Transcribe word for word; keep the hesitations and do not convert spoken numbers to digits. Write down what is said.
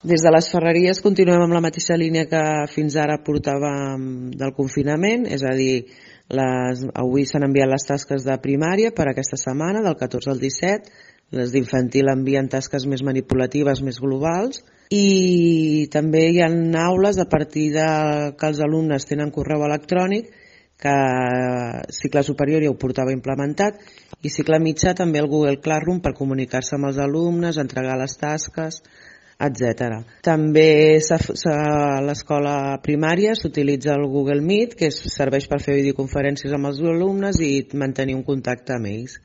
Des de les ferreries continuem amb la mateixa línia que fins ara portàvem del confinament, és a dir, les, avui s'han enviat les tasques de primària per aquesta setmana, del catorze al disset, les d'infantil envien tasques més manipulatives, més globals, i també hi ha aules a partir de que els alumnes tenen correu electrònic, que cicle superior ja ho portava implementat, i cicle mitjà també el Google Classroom per comunicar-se amb els alumnes, entregar les tasques, etcètera. També a l'escola primària s'utilitza el Google Meet, que serveix per fer videoconferències amb els alumnes i mantenir un contacte amb ells.